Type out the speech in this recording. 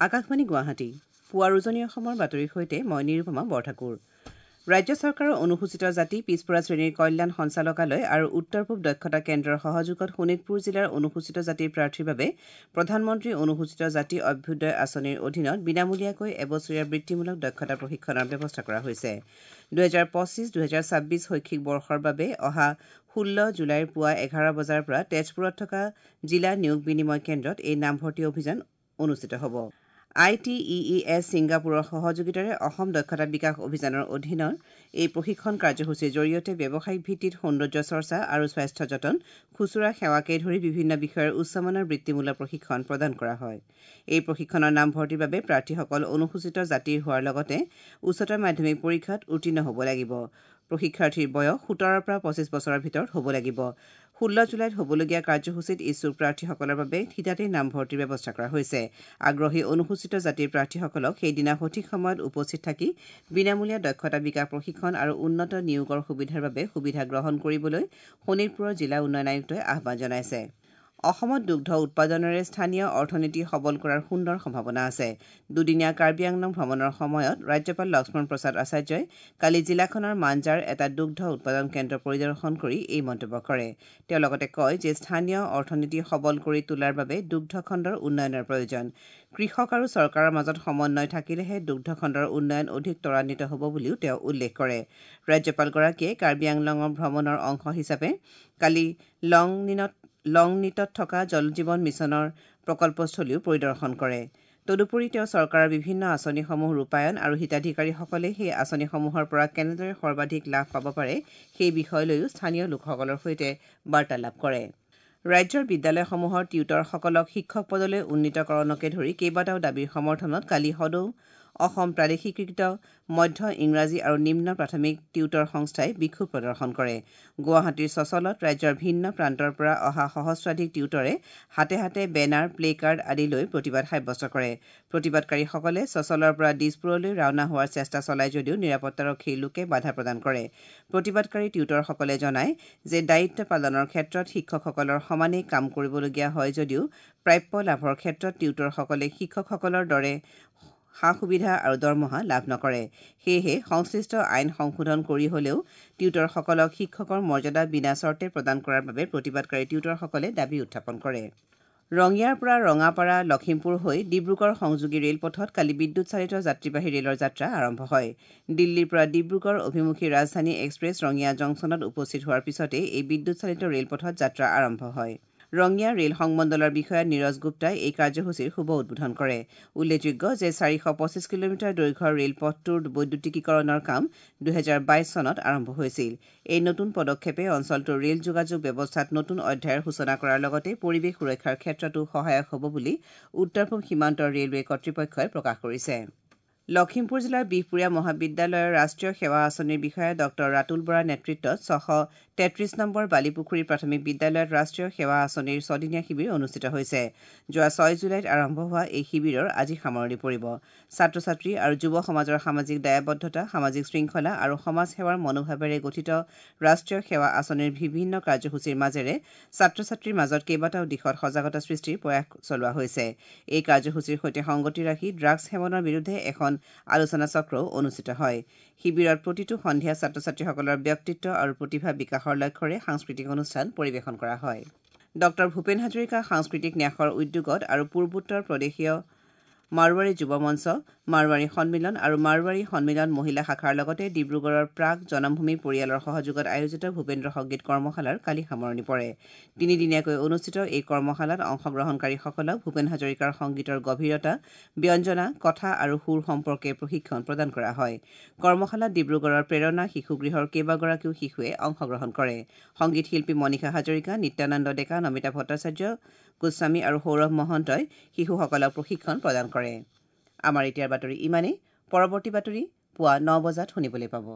আকাশবাণী গুৱাহাটী, পুৱাৰ উজনি অসমৰ বাতৰিৰ সৈতে মই নিৰুপমা বৰঠাকুৰ। ৰাজ্য চৰকাৰৰ অনুসূচিত জাতি পিছপৰা শ্ৰেণীৰ কল্যাণ সঞ্চালকালয় আৰু উত্তৰ পূব দক্ষতা কেন্দ্ৰৰ সহযোগত শোণিতপুৰ জিলাৰ অনুসূচিত জাতিৰ প্ৰাৰ্থীৰ বাবে প্ৰধানমন্ত্ৰী অনুসূচিত জাতি অভ্যুদয় আঁচনিৰ অধীনত বিনামূলীয়াকৈ এবছৰীয়া বৃত্তিমূলক দক্ষতা প্ৰশিক্ষণৰ ব্যৱস্থা কৰা হৈছে। 2025-2026 শৈক্ষিক বৰ্ষৰ বাবে অহা 16 জুলাইৰ পুৱা 11 বজাৰ পৰা তেজপুৰত থকা জিলা নিয়োগ বিনিময় কেন্দ্ৰত এই নামভৰ্তি অভিযান অনুষ্ঠিত হ'ব। ITEES ছিংগাপুৰৰ সহযোগিতাৰে অসম দক্ষতা বিকাশ অভিযানৰ অধীনৰ এই প্ৰশিক্ষণ কাৰ্যসূচীৰ জৰিয়তে ব্যৱসায়িক ভিত্তিত সৌন্দৰ্য চৰ্চা আৰু স্বাস্থ্য যতন, খুচুৰা সেৱাকে ধৰি বিভিন্ন বিষয়ৰ উচ্চমানৰ বৃত্তিমূলক প্ৰশিক্ষণ প্ৰদান কৰা হয়। এই প্ৰশিক্ষণৰ নামভৰ্তিৰ বাবে প্ৰাৰ্থীসকল অনুসূচিত জাতিৰ হোৱাৰ লগতে উচ্চতৰ মাধ্যমিক পৰীক্ষাত উত্তীৰ্ণ হ'ব লাগিব। প্ৰশিক্ষাৰ্থীৰ বয়স 17ৰ পৰা 25 বছৰৰ ভিতৰত হ'ব লাগিব। 16 জুলাইত হ'বলগীয়া কাৰ্যসূচীত ইচ্ছুক প্ৰাৰ্থীসকলৰ বাবে থিতাতে নামভৰ্তিৰ ব্যৱস্থা কৰা হৈছে। আগ্ৰহী অনুসূচিত জাতিৰ প্ৰাৰ্থীসকলক সেইদিনা সঠিক সময়ত উপস্থিত থাকি বিনামূলীয়া দক্ষতা বিকাশ প্ৰশিক্ষণ আৰু উন্নত নিয়োগৰ সুবিধাৰ বাবে সুবিধা গ্ৰহণ কৰিবলৈ শোণিতপুৰৰ জিলা উন্নয়ন আয়ুক্তই আহ্বান জনাইছে। অসমত দুগ্ধ উৎপাদনেৰে স্থানীয় অৰ্থনীতি সবল কৰাৰ সুন্দৰ সম্ভাৱনা আছে। দুদিনীয়া কাৰ্বি আংলং ভ্ৰমণৰ সময়ত ৰাজ্যপাল লক্ষ্মণ প্ৰসাদ আচাৰ্যই কালি জিলাখনৰ মাঞ্জাৰ এটা দুগ্ধ উৎপাদন কেন্দ্ৰ পৰিদৰ্শন কৰি এই মন্তব্য কৰে। তেওঁ লগতে কয় যে স্থানীয় অৰ্থনীতি সবল কৰি তোলাৰ বাবে দুগ্ধ খণ্ডৰ উন্নয়নৰ প্ৰয়োজন। কৃষক আৰু চৰকাৰৰ মাজত সমন্বয় থাকিলেহে দুগ্ধ খণ্ডৰ উন্নয়ন অধিক ত্বৰান্বিত হ'ব বুলিও তেওঁ উল্লেখ কৰে। ৰাজ্যপালগৰাকীয়ে কাৰ্বি আংলঙৰ ভ্ৰমণৰ অংশ হিচাপে কালি লংনিটত থকা জল জীৱন মিছনৰ প্ৰকল্পস্থলীও পৰিদৰ্শন কৰে। তদুপৰি তেওঁ চৰকাৰৰ বিভিন্ন আঁচনিসমূহ ৰূপায়ণ আৰু হিতাধিকাৰীসকলে সেই আঁচনিসমূহৰ পৰা কেনেদৰে সৰ্বাধিক লাভ পাব পাৰে সেই বিষয় লৈও স্থানীয় লোকসকলৰ সৈতে বাৰ্তালাপ কৰে। ৰাজ্যৰ বিদ্যালয়সমূহৰ টিউটৰসকলক শিক্ষক পদলৈ উন্নীতকৰণকে ধৰি কেইবাটাও দাবীৰ সমৰ্থনত কালি সদৌ অসম প্ৰাদেশিকীকৃত মধ্য ইংৰাজী আৰু নিম্ন প্ৰাথমিক টিউটৰ সংস্থাই বিক্ষোভ প্ৰদৰ্শন কৰে। গুৱাহাটীৰ চচলত ৰাজ্যৰ ভিন্ন প্ৰান্তৰ পৰা অহা সহস্ৰাধিক টিউটৰে হাতে হাতে বেনাৰ, প্লে কাৰ্ড আদি লৈ প্ৰতিবাদ সাব্যস্ত কৰে। প্ৰতিবাদকাৰীসকলে চচলৰ পৰা দিছপুৰলৈ ৰাওনা হোৱাৰ চেষ্টা চলায় যদিও নিৰাপত্তাৰক্ষীৰ লোকে বাধা প্ৰদান কৰে। প্ৰতিবাদকাৰী টিউটৰসকলে জনায় যে দায়িত্ব পালনৰ ক্ষেত্ৰত শিক্ষকসকলৰ সমানেই কাম কৰিবলগীয়া হয় যদিও প্ৰাপ্য লাভৰ ক্ষেত্ৰত টিউটৰসকলে শিক্ষকসকলৰ দৰে সা সুবিধা আৰু দৰমহা লাভ নকৰে। সেয়েহে সংশ্লিষ্ট আইন সংশোধন কৰি হলেও টিউটৰসকলক শিক্ষকৰ মৰ্যাদা বিনা চৰ্তে প্ৰদান কৰাৰ বাবে প্ৰতিবাদকাৰী টিউটৰসকলে দাবী উত্থাপন কৰে। ৰঙিয়াৰ পৰা ৰঙাপাৰা লখিমপুৰ হৈ ডিব্ৰুগড় সংযোগী ৰেলপথত কালি বিদ্যুৎ চালিত যাত্ৰীবাহী ৰেলৰ যাত্ৰা আৰম্ভ হয়। দিল্লীৰ পৰা ডিব্ৰুগড় অভিমুখী ৰাজধানী এক্সপ্ৰেছ ৰঙিয়া জংচনত উপস্থিত হোৱাৰ পিছতেই এই বিদ্যুৎ চালিত ৰেলপথত যাত্ৰা আৰম্ভ হয়। ৰঙিয়া ৰেল সংমণ্ডলৰ বিষয়া নীৰজ গুপ্তাই এই কাৰ্যসূচীৰ শুভ উদ্বোধন কৰে। উল্লেখযোগ্য যে 425 কিলোমিটাৰ দৈৰ্ঘ্যৰ ৰেলপথটোৰ বৈদ্যুতিকীকৰণৰ কাম 2022 চনত আৰম্ভ হৈছিল। এই নতুন পদক্ষেপে অঞ্চলটোৰ ৰেল যোগাযোগ ব্যৱস্থাত নতুন অধ্যায়ৰ সূচনা কৰাৰ লগতে পৰিৱেশ সুৰক্ষাৰ ক্ষেত্ৰতো সহায়ক হ'ব বুলি উত্তৰ পূব সীমান্ত ৰেলৱে কৰ্তৃপক্ষই প্ৰকাশ কৰিছে। লখিমপুৰ জিলাৰ বিহপুৰীয়া মহাবিদ্যালয়ৰ ৰাষ্ট্ৰীয় সেৱা আঁচনিৰ বিষয়া ডঃ ৰাতুল বৰাৰ নেতৃত্বত 633 নম্বৰ বালিপুখুৰী প্ৰাথমিক বিদ্যালয়ত ৰাষ্ট্ৰীয় সেৱা আঁচনিৰ ছদিনীয়া শিবিৰ অনুষ্ঠিত হৈছে। যোৱা 6 জুলাইত আৰম্ভ হোৱা এই শিবিৰৰ আজি সামৰণি পৰিব। ছাত্ৰ ছাত্ৰী আৰু যুৱ সমাজৰ সামাজিক দায়বদ্ধতা, সামাজিক শৃংখলা আৰু সমাজ সেৱাৰ মনোভাৱেৰে গঠিত ৰাষ্ট্ৰীয় সেৱা আঁচনিৰ বিভিন্ন কাৰ্যসূচীৰ মাজেৰে ছাত্ৰ ছাত্ৰীৰ মাজত কেইবাটাও দিশত সজাগতা সৃষ্টিৰ প্ৰয়াস চলোৱা হৈছে। এই কাৰ্যসূচীৰ সৈতে সংগতি ৰাখি ড্ৰাগছ সেৱনৰ বিৰুদ্ধে এখন আলোচনা চক্ৰও অনুষ্ঠিত হয়। শিবিৰত প্ৰতিটো সন্ধিয়া ছাত্ৰ ছাত্ৰীসকলৰ ব্যক্তিত্ব আৰু প্ৰতিভা বিকাশৰ লক্ষ্যৰে সাংস্কৃতিক অনুষ্ঠান পৰিৱেশন কৰা হয়। ডঃ ভূপেন হাজৰিকা সাংস্কৃতিক ন্যাসৰ উদ্যোগত আৰু পূৰ্বোত্তৰ প্ৰদেশীয় মাৰোৱাৰী যুৱ মঞ্চ, মাৰোৱাৰী সন্মিলন আৰু মাৰোৱাৰী সন্মিলন মহিলা শাখাৰ লগতে ডিব্ৰুগড়ৰ প্ৰাগ জনমভূমি পৰিয়ালৰ সহযোগত আয়োজিত ভূপেন্দ্ৰ সংগীত কৰ্মশালাৰ কালি সামৰণি পৰে। তিনিদিনীয়াকৈ অনুষ্ঠিত এই কৰ্মশালাত অংশগ্ৰহণকাৰীসকলক ভূপেন হাজৰিকাৰ সংগীতৰ গভীৰতা, ব্যঞ্জনা, কথা আৰু সুৰ সম্পৰ্কে প্ৰশিক্ষণ প্ৰদান কৰা হয়। কৰ্মশালাত ডিব্ৰুগড়ৰ প্ৰেৰণা শিশুগৃহৰ কেইবাগৰাকীও শিশুৱে অংশগ্ৰহণ কৰে। সংগীত শিল্পী মনীষা হাজৰিকা, নিত্যানন্দ ডেকা, নমিতা ভট্টাচাৰ্য গোস্বামী আৰু সৌৰভ মহন্তই শিশুসকলক প্ৰশিক্ষণ প্ৰদান কৰে। আমাৰ এতিয়াৰ বাতৰি ইমানেই। পৰৱৰ্তী বাতৰি পুৱা 9 বজাত শুনিবলৈ পাব।